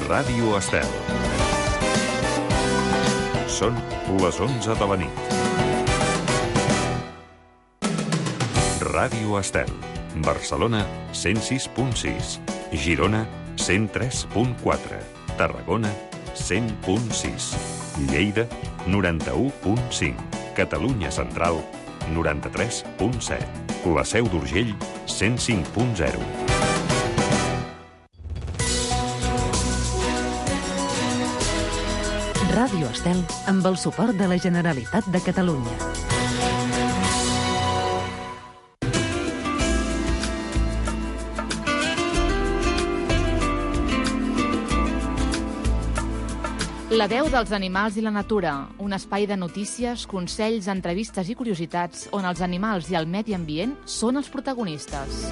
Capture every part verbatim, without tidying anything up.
Ràdio Estel. Són les onze de la nit. Ràdio Estel. Barcelona, cent sis punt sis. Girona, cent tres punt quatre. Tarragona, cent punt sis. Lleida, noranta-u punt cinc. Catalunya Central, noranta-tres punt set. La Seu d'Urgell, cent cinc punt zero. Ràdio Estel, amb el suport de la Generalitat de Catalunya. La veu dels animals i la natura, un espai de notícies, consells, entrevistes i curiositats on els animals i el medi ambient són els protagonistes.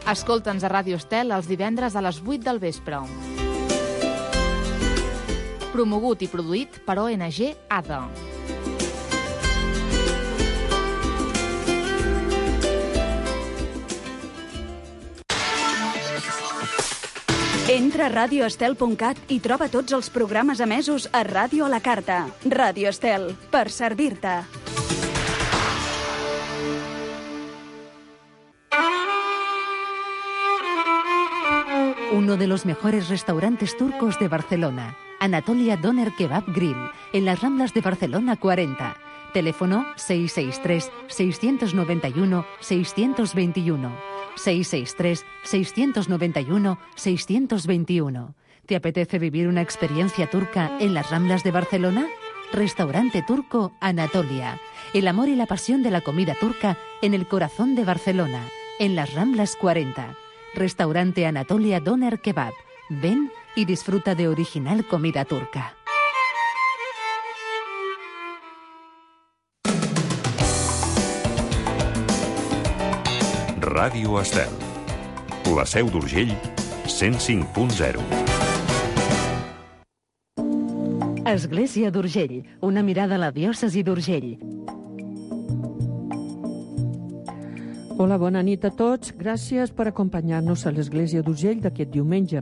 Escolta'ns a Ràdio Estel els divendres a les vuit del vespre. Promogut i produït per O N G A D A. Entra a radio estel punt cat i troba tots els programes emesos a Ràdio a la Carta. Ràdio Estel, per servir-te. Uno de los mejores restaurantes turcos de Barcelona, Anatolia Doner Kebab Grill, en las Ramblas de Barcelona cuarenta. Teléfono seis seis tres, seis nueve uno, seis dos uno. seis seis tres, seis nueve uno, seis dos uno. ¿Te apetece vivir una experiencia turca en las Ramblas de Barcelona? Restaurante Turco Anatolia. El amor y la pasión de la comida turca en el corazón de Barcelona, en las Ramblas cuarenta. Restaurante Anatolia Doner Kebab. Ven y disfruta de original comida turca. Ràdio Estel. La Seu d'Urgell, cent cinc punt zero. Església d'Urgell, una mirada a la diòcesi d'Urgell. Hola, bona nit a tots. Gràcies per acompanyar-nos a l'Església d'Urgell d'aquest diumenge.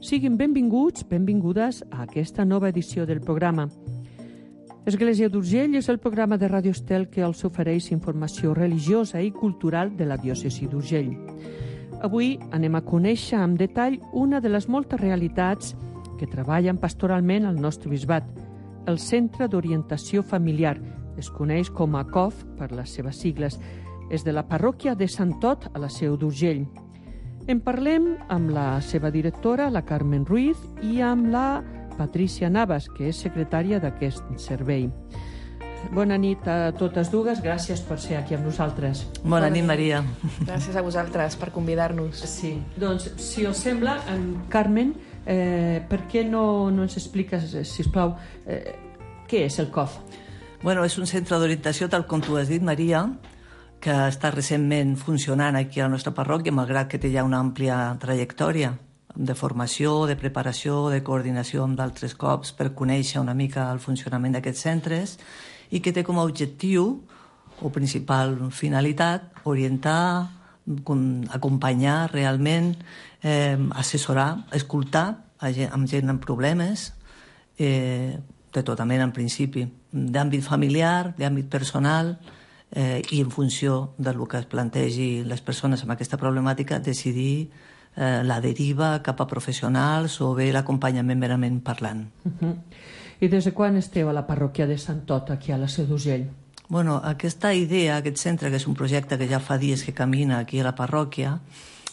Siguin benvinguts, benvingudes a aquesta nova edició del programa. Església d'Urgell és el programa de Ràdio Estel que els ofereix informació religiosa i cultural de la diòcesi d'Urgell. Avui anem a conèixer amb detall una de les moltes realitats que treballen pastoralment al nostre bisbat, el Centre d'Orientació Familiar. Es coneix com a C O F per les seves sigles. És de la parròquia de Sant Ot a la Seu d'Urgell. En parlem amb la seva directora, la Carmen Ruiz, i amb la Patricia Navas, que és secretària d'aquest servei. Bona nit a totes dues, gràcies per ser aquí amb nosaltres. Bona nit, Maria. Gràcies a vosaltres per convidar-nos. Sí, doncs, si us sembla, en Carmen, eh, per què no, no ens expliques, sisplau, eh, què és el C O F? Bueno, és un centre d'orientació, tal com tu has dit, Maria, que està recentment funcionant aquí a la nostra parròquia, malgrat que té ja una àmplia trajectòria de formació, de preparació, de coordinació amb d'altres cops per conèixer una mica el funcionament d'aquests centres i que té com a objectiu o principal finalitat orientar, acompanyar realment, eh, assessorar, escoltar a gent, amb gent amb problemes, eh, de tota mena en principi, d'àmbit familiar, d'àmbit personal, eh, i en funció del que es plantegi les persones amb aquesta problemàtica decidir Eh, la deriva cap a professionals o bé l'acompanyament merament parlant. Uh-huh. I des de quan esteu a la parròquia de Sant Ot, aquí a la Seu d'Urgell? Bueno, aquesta idea, aquest centre, que és un projecte que ja fa dies que camina aquí a la parròquia,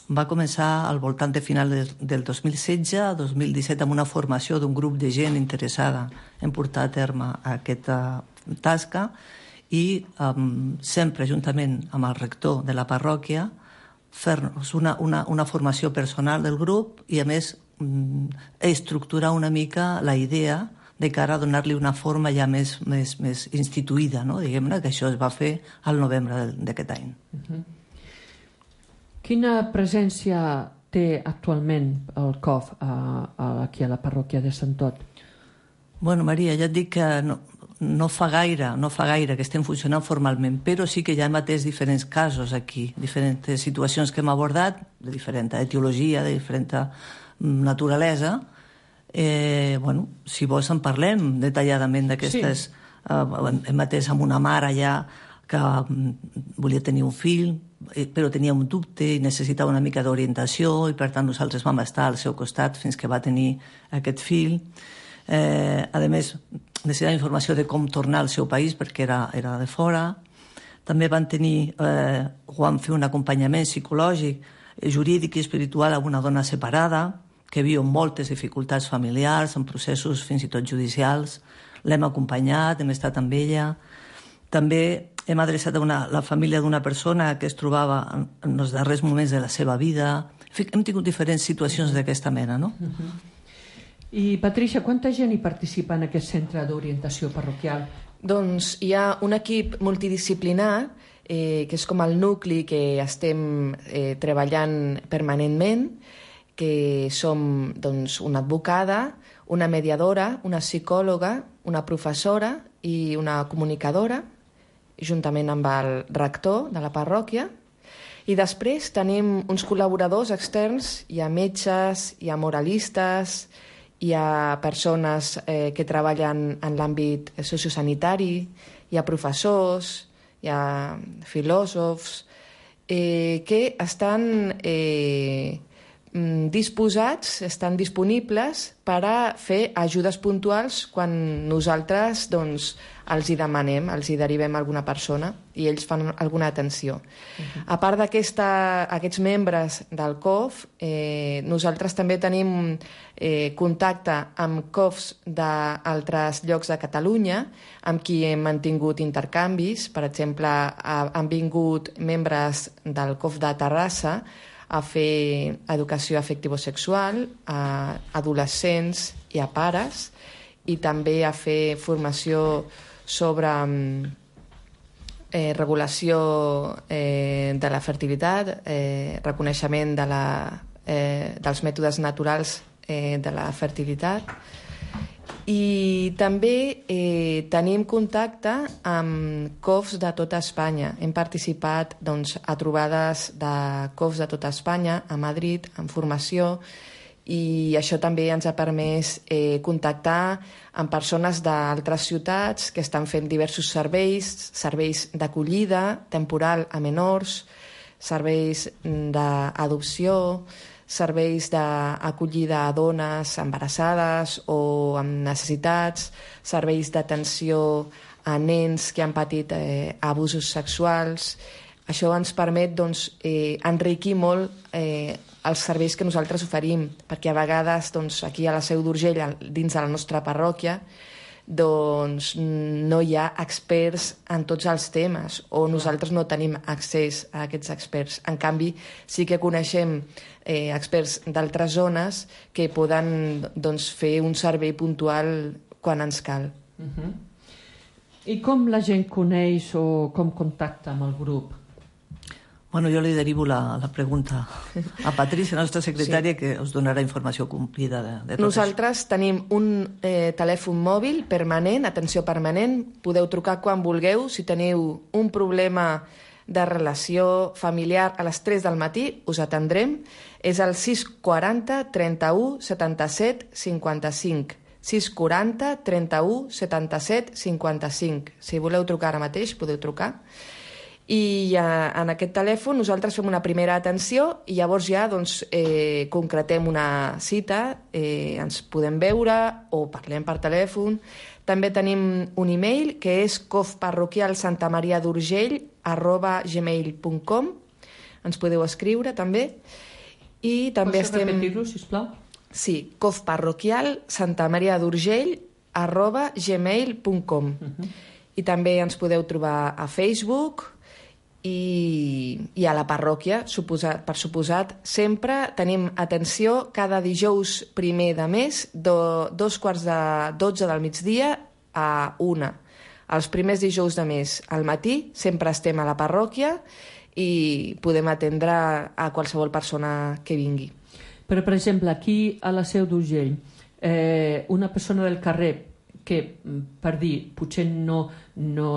va començar al voltant de final de, del dos mil setze a dos mil disset amb una formació d'un grup de gent interessada en portar a terme aquesta tasca i um, sempre juntament amb el rector de la parròquia fer-nos una, una, una formació personal del grup i, a més, estructurar una mica la idea de cara a donar-li una forma ja més, més, més instituïda, no? Diguem-ne que això es va fer al novembre d'aquest any. Uh-huh. Quina presència té actualment el C O F a, a, aquí a la parròquia de Sant Ot? Bueno, Maria, ja et dic que no, no fa gaire, no fa gaire que estem funcionant formalment, però sí que ja hem atès diferents casos aquí, diferents situacions que hem abordat, de diferent etiologia, de diferent naturalesa. Eh, bueno, si vols en parlem detalladament d'aquestes. Sí. Eh, hem atès amb una mare allà que volia tenir un fill, però tenia un dubte i necessitava una mica d'orientació, i per tant nosaltres vam estar al seu costat fins que va tenir aquest fill. Eh, a més, necessitava informació de com tornar al seu país perquè era, era de fora. També van tenir, eh, van fer un acompanyament psicològic, jurídic i espiritual a una dona separada que viu moltes dificultats familiars, en processos fins i tot judicials. L'hem acompanyat, hem estat amb ella. També hem adreçat a una, la família d'una persona que es trobava en, en els darrers moments de la seva vida. En fi, hem tingut diferents situacions d'aquesta mena, no? Uh-huh. I, Patricia, quanta gent hi participa en aquest centre d'orientació parroquial? Doncs hi ha un equip multidisciplinar, eh, que és com el nucli que estem eh, treballant permanentment, que som doncs, una advocada, una mediadora, una psicòloga, una professora i una comunicadora, juntament amb el rector de la parròquia. I després tenim uns col·laboradors externs, hi ha metges, hi ha moralistes, hi ha persones eh, que treballen en l'àmbit sociosanitari, hi ha professors, hi ha filòsofs, eh, que estan eh, disposats, estan disponibles per a fer ajudes puntuals quan nosaltres doncs, els hi demanem, els hi derivem a alguna persona i ells fan alguna atenció. Uh-huh. A part d'aquests membres del C O F, eh, nosaltres també tenim eh, contacte amb C O Fs d'altres llocs de Catalunya, amb qui hem mantingut intercanvis. Per exemple, ha, han vingut membres del C O F de Terrassa a fer educació afectivosexual a adolescents i a pares, i també a fer formació sobre eh, regulació eh, de la fertilitat, eh, reconeixement de la, eh, dels mètodes naturals eh, de la fertilitat. I també eh, tenim contacte amb C O Fs de tota Espanya. Hem participat doncs, a trobades de C O Fs de tota Espanya, a Madrid, en formació, i això també ens ha permès eh, contactar amb persones d'altres ciutats que estan fent diversos serveis, serveis d'acollida temporal a menors, serveis d'adopció, serveis d'acollida a dones embarassades o amb necessitats, serveis d'atenció a nens que han patit eh, abusos sexuals. Això ens permet doncs, eh, enriquir molt eh, els serveis que nosaltres oferim, perquè a vegades doncs, aquí a la Seu d'Urgell, dins de la nostra parròquia, doncs no hi ha experts en tots els temes, o nosaltres no tenim accés a aquests experts. En canvi, sí que coneixem eh, experts d'altres zones que poden doncs, fer un servei puntual quan ens cal. Uh-huh. I com la gent coneix o com contacta amb el grup? Bueno, jo li derivo la, la pregunta a Patricia, la nostra secretària, sí, que us donarà informació complida de, de tot Nosaltres això. Tenim un eh, telèfon mòbil permanent, atenció permanent, podeu trucar quan vulgueu. Si teniu un problema de relació familiar a les tres del matí, us atendrem. És el sis quaranta trenta-u setanta-set cinquanta-cinc. sis quaranta trenta-u setanta-set cinquanta-cinc. Si voleu trucar ara mateix, podeu trucar. I eh, en aquest telèfon nosaltres fem una primera atenció i llavors ja doncs, eh, concretem una cita, eh, ens podem veure o parlem per telèfon. També tenim un e-mail que és cofparroquialsantamariadurgell arroba gmail punt com. Ens podeu escriure també. I també Pots estem... repetir-ho, sisplau? Sí, cofparroquialsantamariadurgell arroba gmail punt com. Uh-huh. I també ens podeu trobar a Facebook i, i a la parròquia, suposat, per suposat. Sempre tenim atenció cada dijous primer de mes, do, dos quarts de dotze del migdia a una. Els primers dijous de mes al matí sempre estem a la parròquia i podem atendre a qualsevol persona que vingui. Però, per exemple, aquí a la Seu d'Urgell, eh, una persona del carrer que, per dir, potser no, no,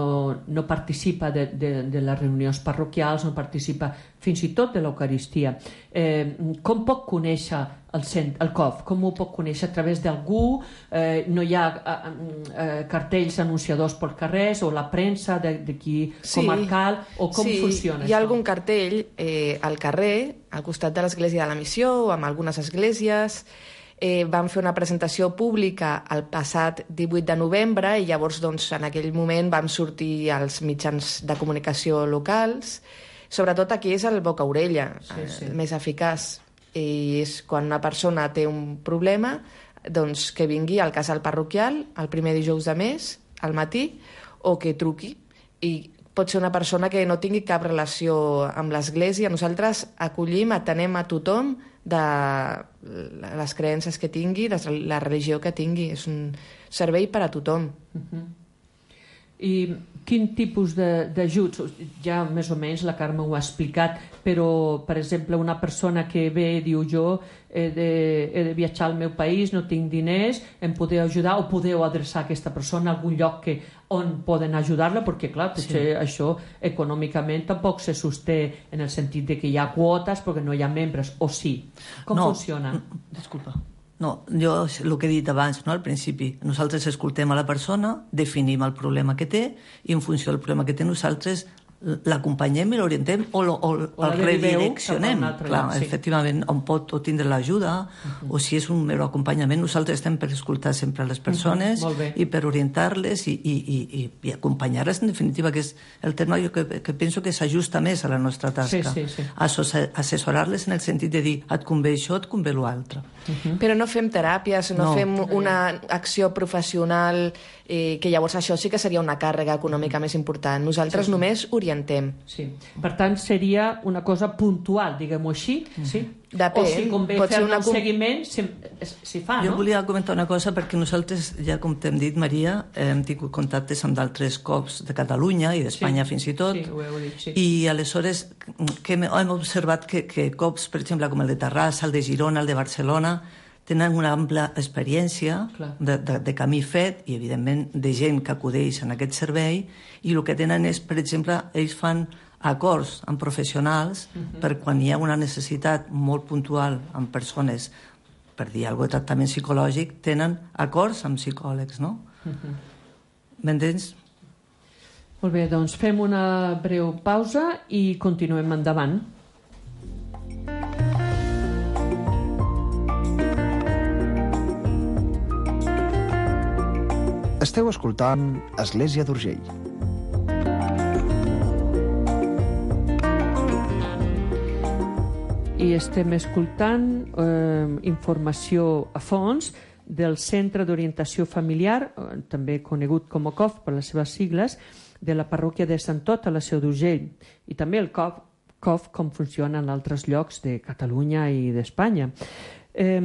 no participa de, de, de les reunions parroquials, no participa fins i tot de l'Eucaristia. Eh, com pot conèixer el, cent, el C O F? Com ho pot conèixer? A través d'algú? Eh, no hi ha eh, eh, cartells anunciadors per carrers o la premsa d'aquí sí, comarcal? O com sí, funciona hi ha això? algun cartell eh, al carrer, al costat de l'Església de la Missió o amb algunes esglésies. Eh, vam fer una presentació pública el passat divuit de novembre i llavors doncs, en aquell moment vam sortir als mitjans de comunicació locals. Sobretot aquí és el boca-orella, sí, sí. el més eficaç. I és quan una persona té un problema, doncs que vingui al casal parroquial el primer dijous de mes, al matí, o que truqui. I pot ser una persona que no tingui cap relació amb l'Església. Nosaltres acollim, atenem a tothom de les creences que tingui, la religió que tingui. És un servei per a tothom. Uh-huh. I quin tipus d'ajuts? Ja més o menys la Carme ho ha explicat, però, per exemple, una persona que ve i diu jo he de, he de viatjar al meu país, no tinc diners, em podeu ajudar o podeu adreçar aquesta persona a algun lloc que, on poden ajudar-la? Perquè, clar, sí. això econòmicament tampoc se sosté en el sentit de que hi ha quotes perquè no hi ha membres, o sí? Com no, funciona? Disculpa. No, jo el que he dit abans, no, al principi, nosaltres escoltem a la persona, definim el problema que té i en funció del problema que té nosaltres l'acompanyem i l'orientem o, lo, o, o el redireccionem. Clar, lloc, sí. Efectivament, on pot tindre l'ajuda uh-huh. o si és un mero acompanyament, nosaltres estem per escoltar sempre les persones uh-huh. i per orientar-les i, i, i, i, i acompanyar-les, en definitiva, que és el terme que, que penso que s'ajusta més a la nostra tasca. Sí, sí, sí. Assessorar-les en el sentit de dir et convé això, et convé l'altre. Uh-huh. Però no fem teràpies, no, no fem una acció professional, eh, que llavors això sí que seria una càrrega econòmica més important. Nosaltres sí, sí. només orientem. Sí. Per tant, seria una cosa puntual, diguem-ho així, mm. sí? Depèn. O si convé fer una... un seguiment, si, si fa, jo no? Jo volia comentar una cosa, perquè nosaltres, ja com t'hem dit, Maria, hem tingut contactes amb d'altres C O Fs de Catalunya i d'Espanya sí. fins i tot, sí, ho heu dit, sí. i aleshores que hem, hem observat que, que C O Fs, per exemple, com el de Terrassa, el de Girona, el de Barcelona, tenen una ampla experiència de, de, de camí fet i, evidentment, de gent que acudeix en aquest servei, i el que tenen és, per exemple, ells fan acords amb professionals uh-huh. per quan hi ha una necessitat molt puntual amb persones, per dir alguna cosa de tractament psicològic, tenen acords amb psicòlegs, no? Uh-huh. M'entens? Molt bé, doncs fem una breu pausa i continuem endavant. Esteu escoltant Església d'Urgell. I estem escoltant eh, informació a fons del Centre d'Orientació Familiar, eh, també conegut com a C O F per les seves sigles, de la parròquia de Sant Tot a la Seu d'Urgell, i també el C O F, C O F com funciona en altres llocs de Catalunya i d'Espanya. Eh,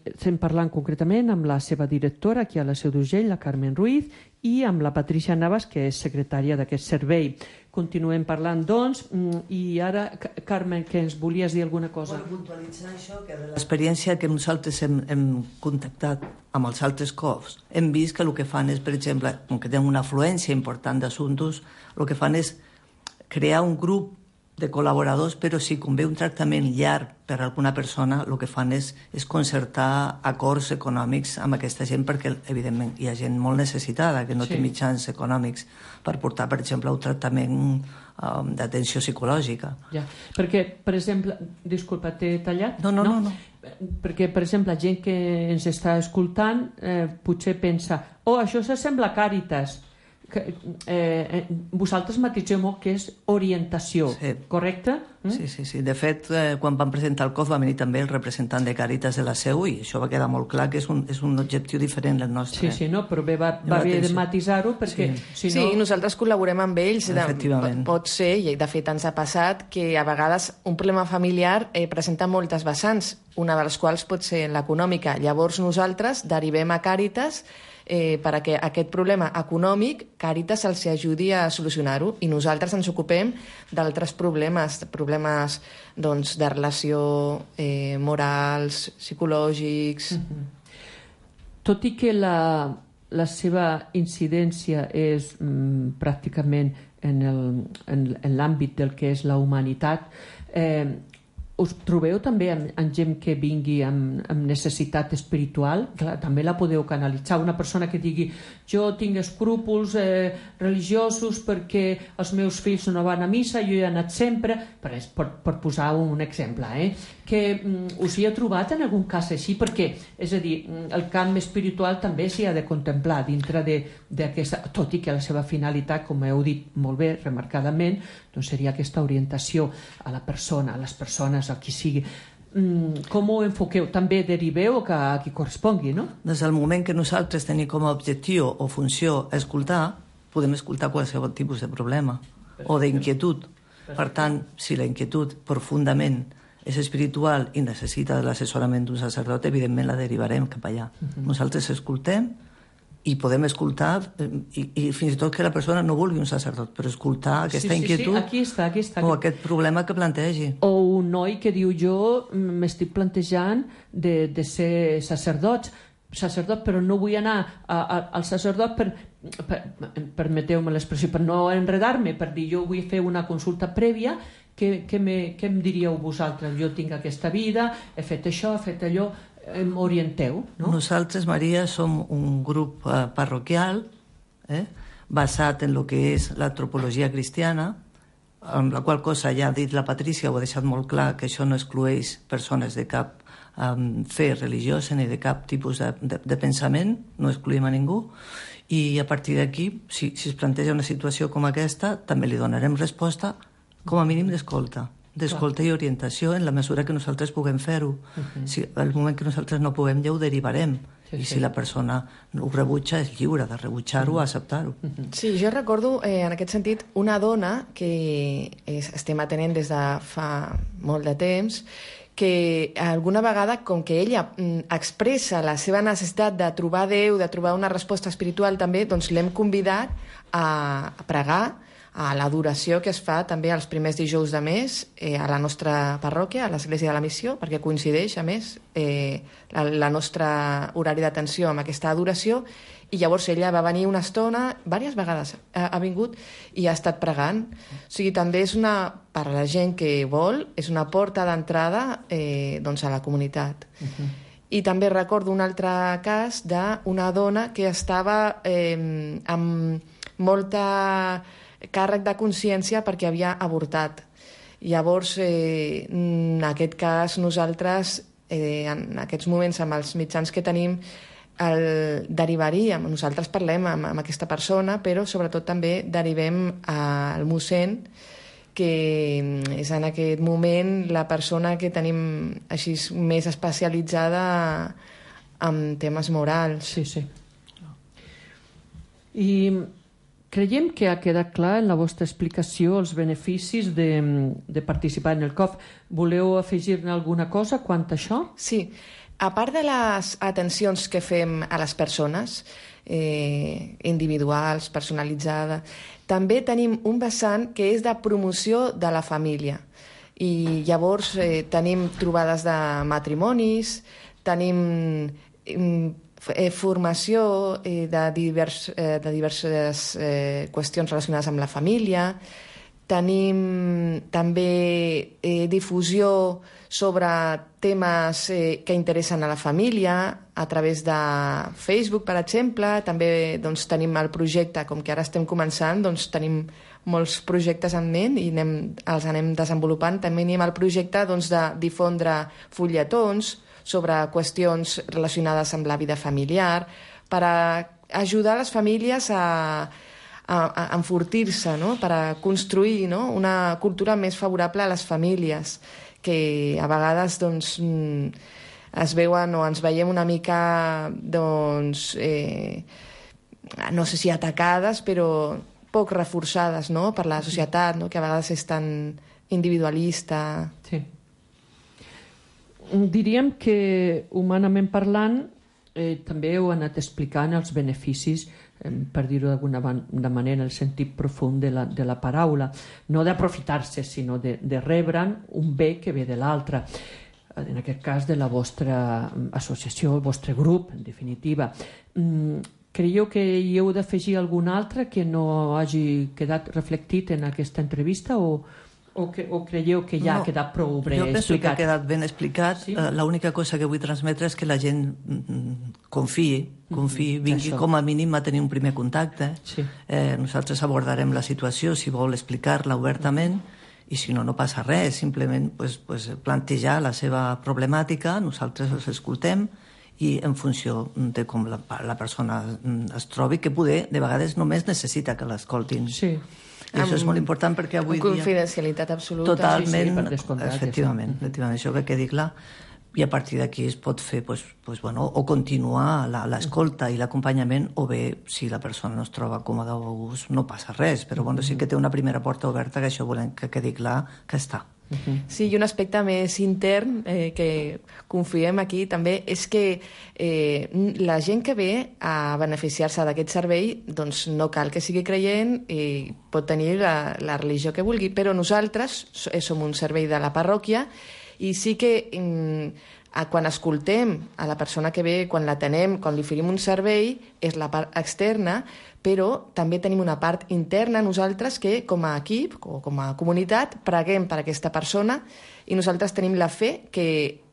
estem parlant concretament amb la seva directora aquí a la Seu d'Urgell, la Carmen Ruiz, i amb la Patricia Navas, que és secretària d'aquest servei. Continuem parlant, doncs, i ara, Carmen, que ens volies dir alguna cosa? Bueno, puntualitzar això, que de l'experiència que nosaltres hem, hem contactat amb els altres C O Fs, hem vist que el que fan és, per exemple, com que tenen una afluència important d'assumptes, el que fan és crear un grup de col·laboradors, però si convé un tractament llarg per a alguna persona, el que fan és, és concertar acords econòmics amb aquesta gent, perquè, evidentment, hi ha gent molt necessitada, que no sí. té mitjans econòmics per portar, per exemple, un tractament um, d'atenció psicològica. Ja, perquè, per exemple, disculpa, t'he tallat? No, no, no, no. no. Perquè, per exemple, la gent que ens està escoltant eh, potser pensa, oh, això s'assembla a Càritas. Que, eh, vosaltres matiseu molt que és orientació, sí. correcte? Mm? Sí, sí, sí. De fet, eh, quan vam presentar el C O F va venir també el representant de Càritas de la Seu i això va quedar molt clar que és un, és un objectiu diferent del nostre. Sí, sí, no, però bé, va, va haver de matisar-ho perquè... Sí, si no... sí, nosaltres col·laborem amb ells. Efectivament. De, pot ser, i de fet ens ha passat, que a vegades un problema familiar eh, presenta moltes vessants, una de les quals pot ser l'econòmica. Llavors nosaltres derivem a Càritas eh, perquè aquest problema econòmic Càritas els ajudi a solucionar-ho i nosaltres ens ocupem d'altres problemes, problemes doncs, de relació eh, morals, psicològics... Mm-hmm. Tot i que la, la seva incidència és mm, pràcticament en, el, en, en l'àmbit del que és la humanitat. Eh, us trobeu també amb, amb gent que vingui amb, amb necessitat espiritual? Clar, també la podeu canalitzar. Una persona que digui jo tinc escrúpols eh, religiosos perquè els meus fills no van a missa, jo he anat sempre, per, per, per posar un exemple, eh? que mm, us hi ha trobat en algun cas així? Perquè, és a dir, el camp espiritual també s'hi ha de contemplar dintre d'aquesta, tot i que la seva finalitat, com heu dit molt bé, remarcadament, doncs seria aquesta orientació a la persona, a les persones, a qui sigui. Mm, com ho enfoqueu? També deriveu que a qui correspongui, no? Des del moment que nosaltres tenim com a objectiu o funció escoltar, podem escoltar qualsevol tipus de problema o d'inquietud. Per tant, si la inquietud profundament és espiritual i necessita l'assessorament d'un sacerdot, evidentment la derivarem cap allà. Uh-huh. Nosaltres escoltem i podem escoltar, i, i fins i tot que la persona no vulgui un sacerdot, però escoltar aquesta sí, sí, inquietud sí. Aquí està, aquí està. o aquest problema que plantegi. O un noi que diu jo m'estic plantejant de, de ser sacerdot, sacerdot, però no vull anar a, a, al sacerdot per, per permeteu-me l'expressió, per no enredar-me, per dir jo vull fer una consulta prèvia. Què, què, me, què em diríeu vosaltres? Jo tinc aquesta vida, he fet això, he fet allò, em orienteu, no? Nosaltres, Maria, som un grup eh, parroquial eh, basat en el que és l'antropologia cristiana, amb la qual cosa ja ha dit la Patrícia, ho ha deixat molt clar, que això no exclueix persones de cap um, fe religiosa ni de cap tipus de, de, de pensament, no excluïm a ningú, i a partir d'aquí, si, si es planteja una situació com aquesta, també li donarem resposta com a mínim d'escolta. d'escolta i orientació en la mesura que nosaltres puguem fer-ho. Uh-huh. Si al moment que nosaltres no puguem, ja ho derivarem. Sí, I si sí. la persona ho rebutja, és lliure de rebutjar-ho o uh-huh. acceptar-ho. Uh-huh. Sí, jo recordo, eh, en aquest sentit, una dona que es, estem atenent des de fa molt de temps, que alguna vegada, com que ella mm, expressa la seva necessitat de trobar Déu, de trobar una resposta espiritual també, doncs l'hem convidat a, a pregar a l'adoració que es fa també els primers dijous de mes eh, a la nostra parròquia, a l'Església de la Missió, perquè coincideix, a més, eh, la, la nostra horari d'atenció amb aquesta adoració, i llavors ella va venir una estona, diverses vegades ha, ha vingut i ha estat pregant. O sigui, també és una, per a la gent que vol, és una porta d'entrada eh, doncs a la comunitat. Uh-huh. I també recordo un altre cas d'una dona que estava eh, amb molta càrrec de consciència perquè havia avortat. Llavors, eh, en aquest cas, nosaltres, eh, en aquests moments, amb els mitjans que tenim, el derivaríem, nosaltres parlem amb, amb aquesta persona, però sobretot també derivem al mossèn, que és en aquest moment la persona que tenim així més especialitzada en temes morals. Sí, sí. I creiem que ha quedat clar en la vostra explicació els beneficis de, de participar en el C O F. Voleu afegir-ne alguna cosa quant a això? Sí. A part de les atencions que fem a les persones, eh, individuals, personalitzades, també tenim un vessant que és de promoció de la família. I llavors eh, tenim trobades de matrimonis, tenim eh, formació eh, de, divers, eh, de diverses eh, qüestions relacionades amb la família, tenim també eh, difusió sobre temes eh, que interessen a la família a través de Facebook, per exemple. També doncs, tenim el projecte, com que ara estem començant, doncs, tenim molts projectes en ment i anem, els anem desenvolupant. També tenim el projecte doncs, de difondre fulletons sobre qüestions relacionades amb la vida familiar per a ajudar les famílies a a, a enfortir-se, no? Per a construir, no? Una cultura més favorable a les famílies, que a vegades doncs, es veuen o ens veiem una mica, doncs, eh, no sé si atacades, però poc reforçades, no? Per la societat, no? Que a vegades és tan individualista. Sí. Diríem que, humanament parlant, eh, també heu anat explicant els beneficis, per dir-ho d'alguna manera, el sentit profund de la, de la paraula, no d'aprofitar-se, sinó de, de rebre'n un bé que ve de l'altre, en aquest cas de la vostra associació, el vostre grup, en definitiva. creieu que hi heu d'afegir algun altre que no hagi quedat reflectit en aquesta entrevista o, o, que, o creieu que ja no, ha quedat prou bé explicat? Jo penso explicat? que ha quedat ben explicat. Sí? Uh, l'única cosa que vull transmetre és que la gent confiï, confiï, vingui Això. com a mínim a tenir un primer contacte. Sí. Eh, nosaltres abordarem la situació, si vol explicar-la obertament, i si no, no passa res, simplement pues, pues, plantejar la seva problemàtica, nosaltres els escoltem i en funció de com la, la persona es trobi, que poder, de vegades només necessita que l'escoltin. Sí. I això és molt important perquè avui dia... Confidencialitat absoluta. Totalment, sí, sí, per descomptat, efectivament, sí. efectivament, això que quedi clar. I a partir d'aquí es pot fer pues, pues, bueno, o continuar l'escolta i l'acompanyament, o bé, si la persona no es troba còmoda o a gust, no passa res, però bueno, sí que té una primera porta oberta, que això volem que quedi clar que està. Sí, i un aspecte més intern eh, que confiem aquí també és que eh, la gent que ve a beneficiar-se d'aquest servei doncs no cal que sigui creient i pot tenir la, la religió que vulgui, però nosaltres som un servei de la parròquia i sí que mm, quan escoltem a la persona que ve, quan l'atenem, quan li oferim un servei, és la part externa, però també tenim una part interna nosaltres que com a equip o com a comunitat preguem per aquesta persona i nosaltres tenim la fe que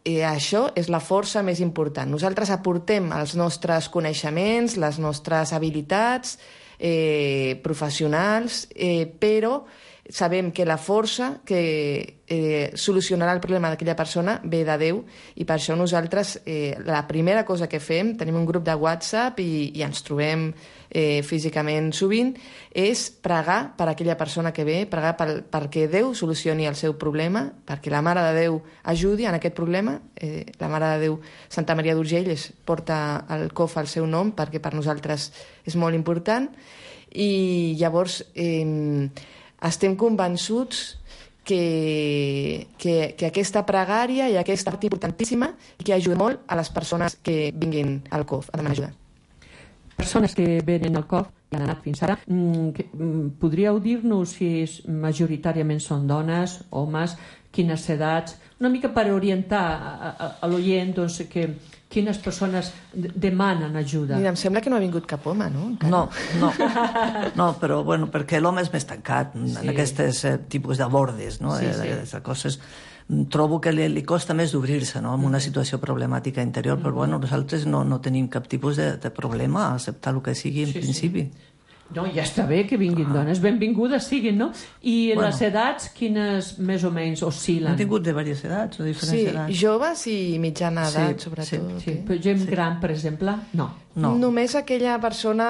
eh, això és la força més important. Nosaltres aportem els nostres coneixements, les nostres habilitats eh, professionals, eh, però sabem que la força que eh, solucionarà el problema d'aquella persona ve de Déu i per això nosaltres eh, la primera cosa que fem, tenim un grup de WhatsApp i, i ens trobem eh, físicament sovint, és pregar per aquella persona que ve, pregar per, perquè Déu solucioni el seu problema, perquè la Mare de Déu ajudi en aquest problema. Eh, la Mare de Déu, Santa Maria d'Urgell, porta el C O F al seu nom perquè per nosaltres és molt important i llavors eh, estem convençuts que, que, que aquesta pregària i aquesta part importantíssima i que ajuda molt a les persones que vinguin al C O F a demanar ajuda. Persones que venen al C O F i han anat fins ara, que, podríeu dir-nos si és, majoritàriament són dones, homes, quines edats, una mica per orientar a, a, a l'oient doncs, que quines persones demanen ajuda. Mira, em sembla que no ha vingut cap home, no? Encara. No, no, no, però bueno, perquè l'home és més tancat sí. en aquests eh, tipus de bordes, no? Sí, sí. De coses. Trobo que li, li costa més d'obrir-se, no? En una situació problemàtica interior, però bueno, nosaltres no, no tenim cap tipus de, de problema a acceptar el que sigui en sí, principi. Sí. No, ja està bé que vinguin ah. dones, benvingudes siguin, no? I bueno. Les edats, quines més o menys oscil·len? Hem tingut de diverses edats, o diferents sí, edats. Sí, joves i mitjana edat, sí, sobretot. Sí, sí. Però gent sí. gran, per exemple, no. no. Només aquella persona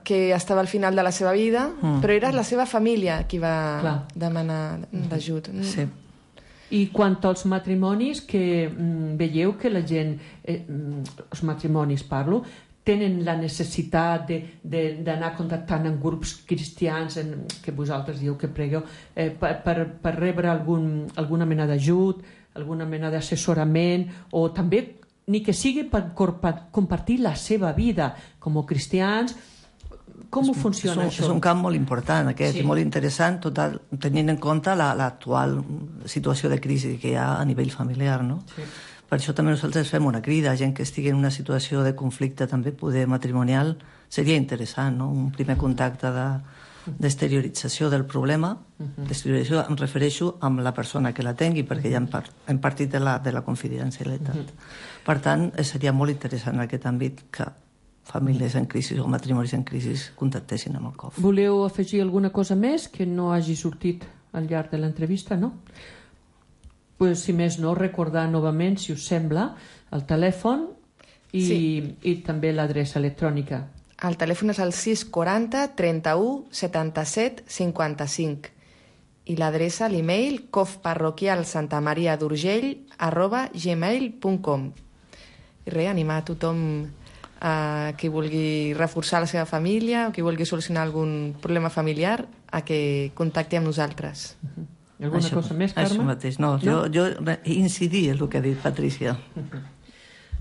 que estava al final de la seva vida, mm. però era la seva família qui va Clar. demanar d'ajut. Sí. I quant als matrimonis, que mm, veieu que la gent, eh, els matrimonis parlo, tenen la necessitat d'anar contactant amb grups cristians en, que vosaltres dieu que pregueu eh, per, per, per rebre algun, alguna mena d'ajut, alguna mena d'assessorament o també ni que sigui per compartir la seva vida com a cristians. Com és, ho funciona és un, això? És un camp molt important aquest sí. i molt interessant total, tenint en compte l'actual la, situació de crisi que hi ha a nivell familiar, no? Sí. Per això també nosaltres fem una crida a gent que estigui en una situació de conflicte també poder matrimonial. Seria interessant, no? Un primer contacte d'exteriorització del problema. Uh-huh. D'exteriorització em refereixo amb la persona que la tingui, perquè ja hem, part, hem partit de la, de la confidencialitat. Uh-huh. Per tant, seria molt interessant en aquest àmbit que famílies en crisi o matrimonis en crisi contactessin amb el C O F. Voleu afegir alguna cosa més que no hagi sortit al llarg de l'entrevista, no? Pues, si més no, recordar novament, si us sembla, el telèfon i, sí. i també l'adreça electrònica. El telèfon és el sis quaranta trenta-u setanta-set cinquanta-cinc i l'adreça, l'email, cofparroquialsantamariadurgell arroba gmail punt com. I res, animar a tothom a qui vulgui reforçar la seva família o qui vulgui solucionar algun problema familiar a que contacti amb nosaltres. Uh-huh. Alguna això, cosa més, Carme? Això mateix, no, no? Jo, jo incidir en el que ha dit Patricia.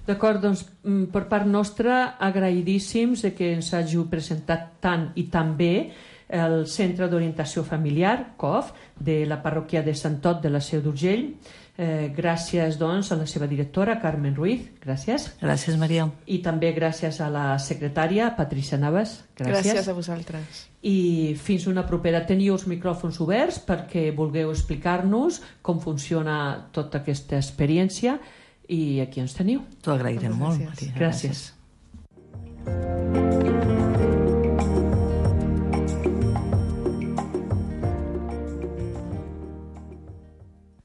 D'acord, doncs, per part nostra, agraïdíssims de que ens hàgiu presentat tant i tan bé el Centre d'Orientació Familiar, C O F, de la parròquia de Sant Ot de la Seu d'Urgell. Eh, gràcies, doncs, a la seva directora, Carmen Ruiz. Gràcies. Gràcies, Maria. I també gràcies a la secretària, Patricia Navas. Gràcies. Gràcies a vosaltres. I fins una propera. Teniu els micròfons oberts perquè vulgueu explicar-nos com funciona tota aquesta experiència i aquí ens teniu. T'ho agrairem molt, Maria. Gràcies.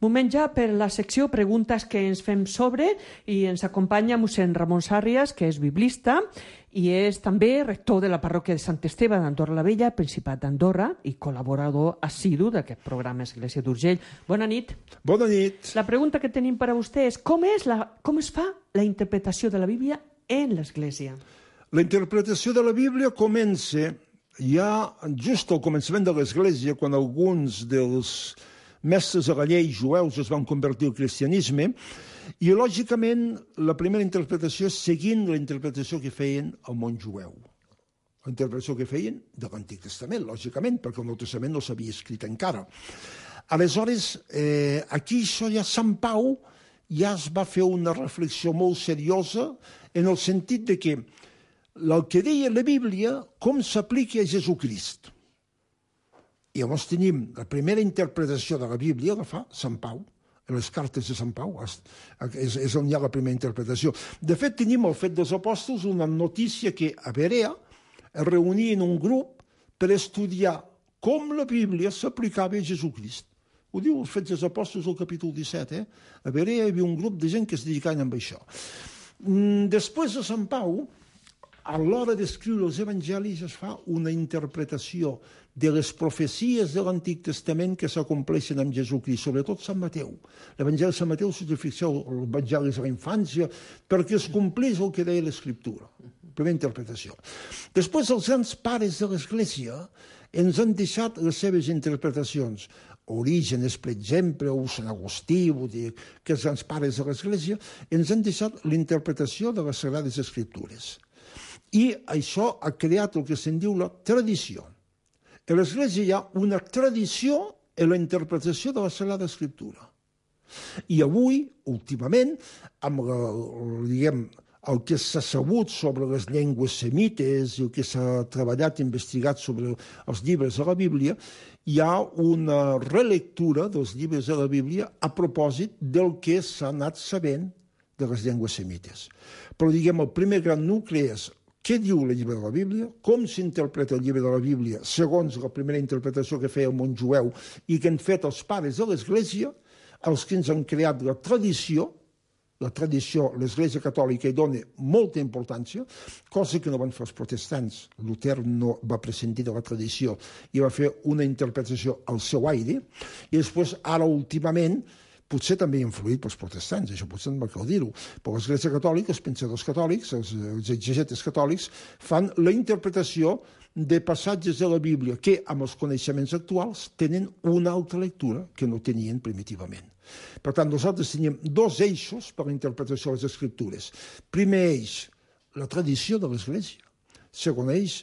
Moment ja per la secció Preguntes que ens fem sobre, i ens acompanya mossèn Ramon Sàrrias, que és biblista i és també rector de la parròquia de Sant Esteve d'Andorra la Vella, Principat d'Andorra, i col·laborador assidu d'aquest programa Església d'Urgell. Bona nit. Bona nit. La pregunta que tenim per a vostè és com, és la, com es fa la interpretació de la Bíblia en l'Església? La interpretació de la Bíblia comença ja just al començament de l'Església, quan alguns dels mestres de la llei jueus es van convertir al cristianisme, i lògicament la primera interpretació és seguint la interpretació que feien el món jueu. La interpretació que feien de l'Antic Testament, lògicament, perquè el Nou Testament no s'havia escrit encara. Aleshores, eh, aquí això ja Sant Pau ja es va fer una reflexió molt seriosa en el sentit de que el que deia la Bíblia com s'aplica a Jesucrist. I llavors tenim la primera interpretació de la Bíblia, la fa Sant Pau, en les cartes de Sant Pau, és, és on hi ha la primera interpretació. De fet, tenim el Fet dels Apòstols, una notícia que a Berea es reunia en un grup per estudiar com la Bíblia s'aplicava a Jesucrist. Ho diu el Fet dels Apòstols al capítol disset, eh? A Berea hi havia un grup de gent que es dedicaven a això. Després de Sant Pau, a l'hora d'escriure els evangelis es fa una interpretació de les profecies de l'Antic Testament que s'acompleixen amb Jesucrist, sobretot Sant Mateu. L'Evangeli de Sant Mateu, si us fixeu, l'Evangeli de la infància, perquè es complís el que deia l'Escriptura. Primera interpretació. Després, els grans pares de l'Església ens han deixat les seves interpretacions. Orígenes, per exemple, o Sant Agustí, vull dir, que els grans pares de l'Església ens han deixat l'interpretació de les Sagrades Escriptures. I això ha creat el que se'n diu la tradició. A l'Església hi ha una tradició en la interpretació de la Sagrada Escriptura. I avui, últimament, amb la, diguem, el que s'ha sabut sobre les llengües semites i el que s'ha treballat i investigat sobre els llibres de la Bíblia, hi ha una relectura dels llibres de la Bíblia a propòsit del que s'ha anat sabent de les llengües semites. Però, diguem, el primer gran nucli és què diu el llibre de la Bíblia, com s'interpreta el llibre de la Bíblia segons la primera interpretació que feia el món jueu i que han fet els pares de l'Església, els que ens han creat la tradició. La tradició, l'Església Catòlica hi dona molta importància, cosa que no van fer els protestants. Luter no va prescindir de la tradició i va fer una interpretació al seu aire, i després, ara últimament, potser també influït pels protestants, això potser no cal dir-ho, però l'Església Catòlica, els pensadors catòlics, els, els exegetes catòlics, fan la interpretació de passatges de la Bíblia que, amb els coneixements actuals, tenen una altra lectura que no tenien primitivament. Per tant, nosaltres tenim dos eixos per a la interpretació de les Escriptures. Primer eix, la tradició de l'Església. Segon eix,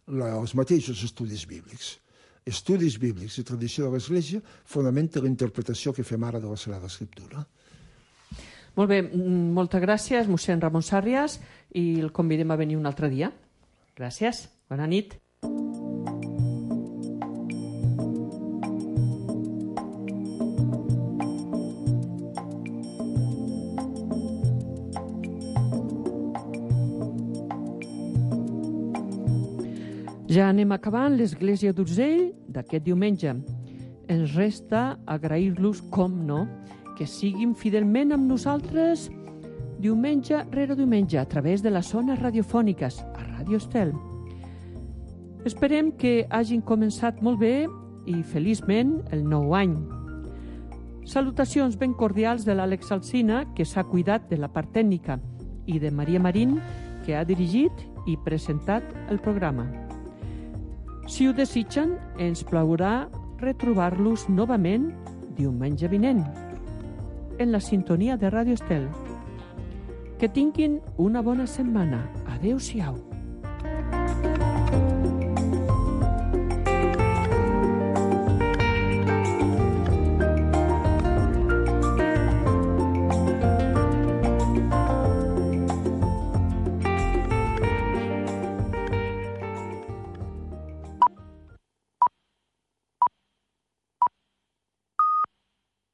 la, els mateixos estudis bíblics. Estudis bíblics i tradició de l'Església fonamenta la interpretació que fem ara de la Sagrada Escriptura. Molt bé, moltes gràcies, mossèn Ramon Sàrrias, i el convidem a venir un altre dia. Gràcies, bona nit. Ja anem acabant l'Església d'Urgell d'aquest diumenge. Ens resta agrair-los, com no, que siguin fidelment amb nosaltres diumenge rere diumenge a través de les zones radiofòniques a Ràdio Estel. Esperem que hagin començat molt bé i feliçment el nou any. Salutacions ben cordials de l'Àlex Alsina, que s'ha cuidat de la part tècnica, i de Maria Marín, que ha dirigit i presentat el programa. Si ho desitgen, ens plaurà retrobar-los novament diumenge vinent, en la sintonia de Ràdio Estel. Que tinguin una bona setmana. Adéu-siau.